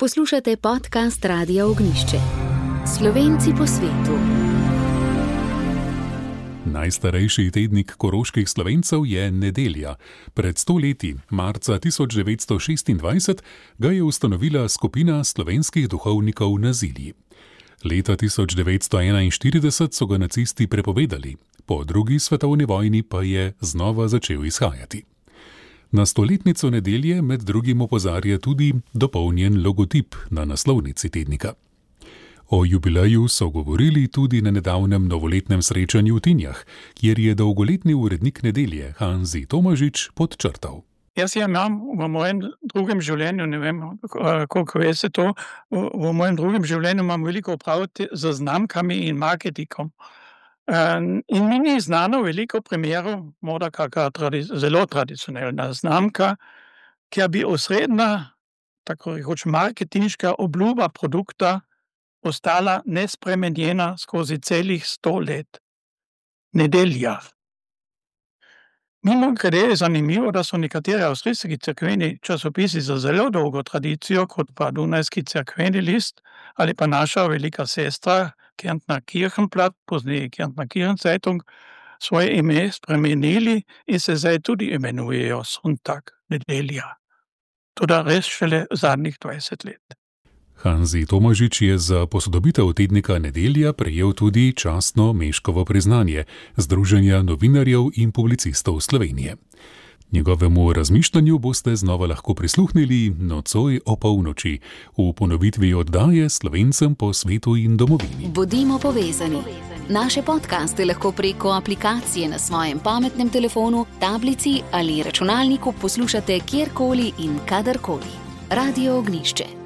Poslušate podcast Radia Ognjišče. Slovenci po svetu. Najstarejši tednik koroških Slovencev je Nedelja. Pred 100 leti, marca 1926, ga je ustanovila skupina slovenskih duhovnikov na Zilji. Leta 1941 so ga nacisti prepovedali, po drugi svetovni vojni pa je znova začel izhajati. Na stoletnico Nedelje med drugim opozarja tudi dopolnjen logotip na naslovnici tednika. O jubileju so govorili tudi na nedavnem novoletnem srečanju v Tinjah, kjer je dolgoletni urednik Nedelje Hanzi Tomažič podčrtal. Jaz imam v mojem drugem življenju, ne vem, koliko veste to, v mojem drugem življenju imam veliko opraviti z znamkami in marketingom. In mi ni znano veliko primerov, morda kakšna zelo tradicionalna znamka, kjer bi osrednja, tako rekoč marketinška obljuba produkta ostala nespremenjena skozi celih 100 let. Nedelja. Mimogrede je zanimivo, da so nekateri avstrijski cerkveni časopisi za zelo dolgo tradicijo, kot pa Dunajski cerkveni list ali pa naša velika sestra Kärntner Kirchenblatt, pozneje Kärntner Kirchenzeitung, svoje ime spremenili in se zdaj tudi imenujejo Sonntag, Nedelja. Toda res šele zadnjih 20 let. Hanzi Tomažič je za posodobitev tednika Nedelja prejel tudi častno Meškovo priznanje Združenja novinarjev in publicistov Slovenije. Njegovemu razmišljanju boste znova lahko prisluhnili nocoj o polnoči v ponovitvi oddaje Slovencem po svetu in domovini. Bodimo povezani. Naše podcaste lahko preko aplikacije na svojem pametnem telefonu, tablici ali računalniku poslušate kjerkoli in kadarkoli. Radio Ognjišče.